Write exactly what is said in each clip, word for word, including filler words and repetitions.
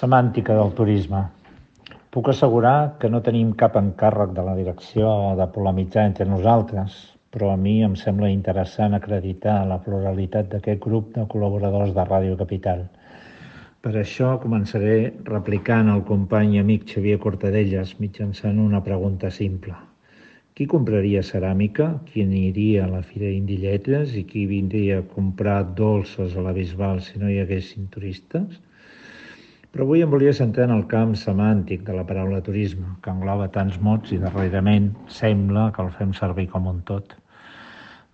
Semàntica del turisme. Puc assegurar que no tenim cap encàrrec de la direcció de polemitzar entre nosaltres, però a mi em sembla interessant acreditar la pluralitat d'aquest grup de col·laboradors de Ràdio Capital. Per això començaré replicant el company i amic Xavier Cortadellas mitjançant una pregunta simple. Qui compraria ceràmica? Qui aniria a la Fira d'Indilletes? I qui vindria a comprar dolces a la Bisbal si no hi haguessin turistes? Però avui em volia centrar en el camp semàntic de la paraula turisme, que engloba tants mots i darrerament sembla que el fem servir com un tot.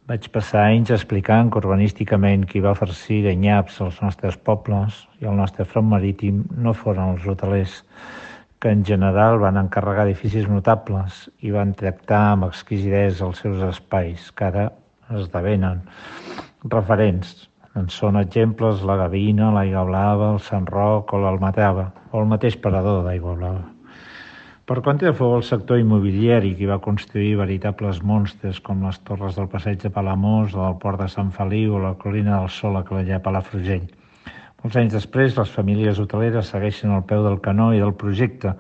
Vaig passar anys explicant que urbanísticament qui va farcir de nyaps als nostres pobles i el nostre front marítim no foren els hotelers, que en general van encarregar edificis notables i van tractar amb exquisidesa els seus espais, que ara esdevenen referents. En són exemples la Gavina, l'Aigua Blava, el Sant Roc o l'Almatrava, o el mateix parador d'Aigua Blava. Per contra, fou el sector immobiliari qui va construir veritables monstres com les torres del Passeig de Palamós o del Port de Sant Feliu o la Colina del Sol a Calella, Palafrugell. Molts anys després, les famílies hoteleres segueixen al peu del canó i del projecte,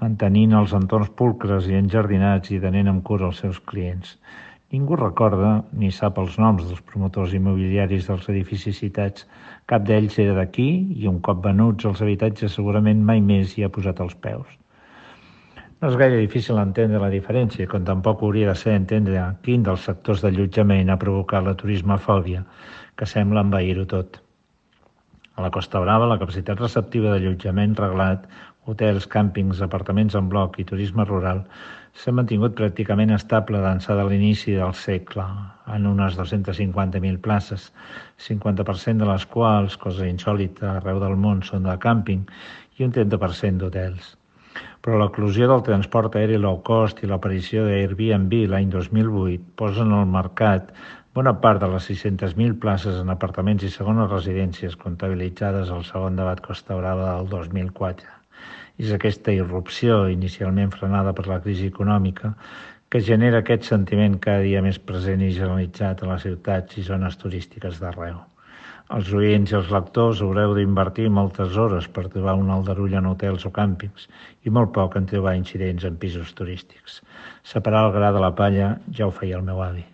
mantenint els entorns pulcres i enjardinats i tenint amb cura els seus clients. Ningú recorda ni sap els noms dels promotors immobiliaris dels edificis citats. Cap d'ells era d'aquí i un cop venuts els habitatges segurament mai més hi ha posat els peus. No és gaire difícil entendre la diferència, com tampoc hauria de ser entendre quin dels sectors d'allotjament ha provocat la turismofòbia, que sembla envair-ho tot. A la Costa Brava, la capacitat receptiva d'allotjament reglat, hotels, càmpings, apartaments en bloc i turisme rural s'ha mantingut pràcticament estable d'ençà de l'inici del segle, en unes dos-centes cinquanta mil places, cinquanta per cent de les quals, cosa insòlita arreu del món, són de càmping i un trenta per cent d'hotels. Però l'eclosió del transport aeri low cost i l'aparició d'Airbnb l'any dos mil vuit posen al mercat bona part de les sis-centes mil places en apartaments i segones residències comptabilitzades al segon debat Costa Brava del dos mil quatre. És aquesta irrupció, inicialment frenada per la crisi econòmica, que genera aquest sentiment cada dia més present i generalitzat a les ciutats i zones turístiques d'arreu. Els oients i els lectors haureu d'invertir moltes hores per trobar un aldarull en hotels o càmpings i molt poc en trobar incidents en pisos turístics. Separar el gra de la palla ja ho feia el meu avi.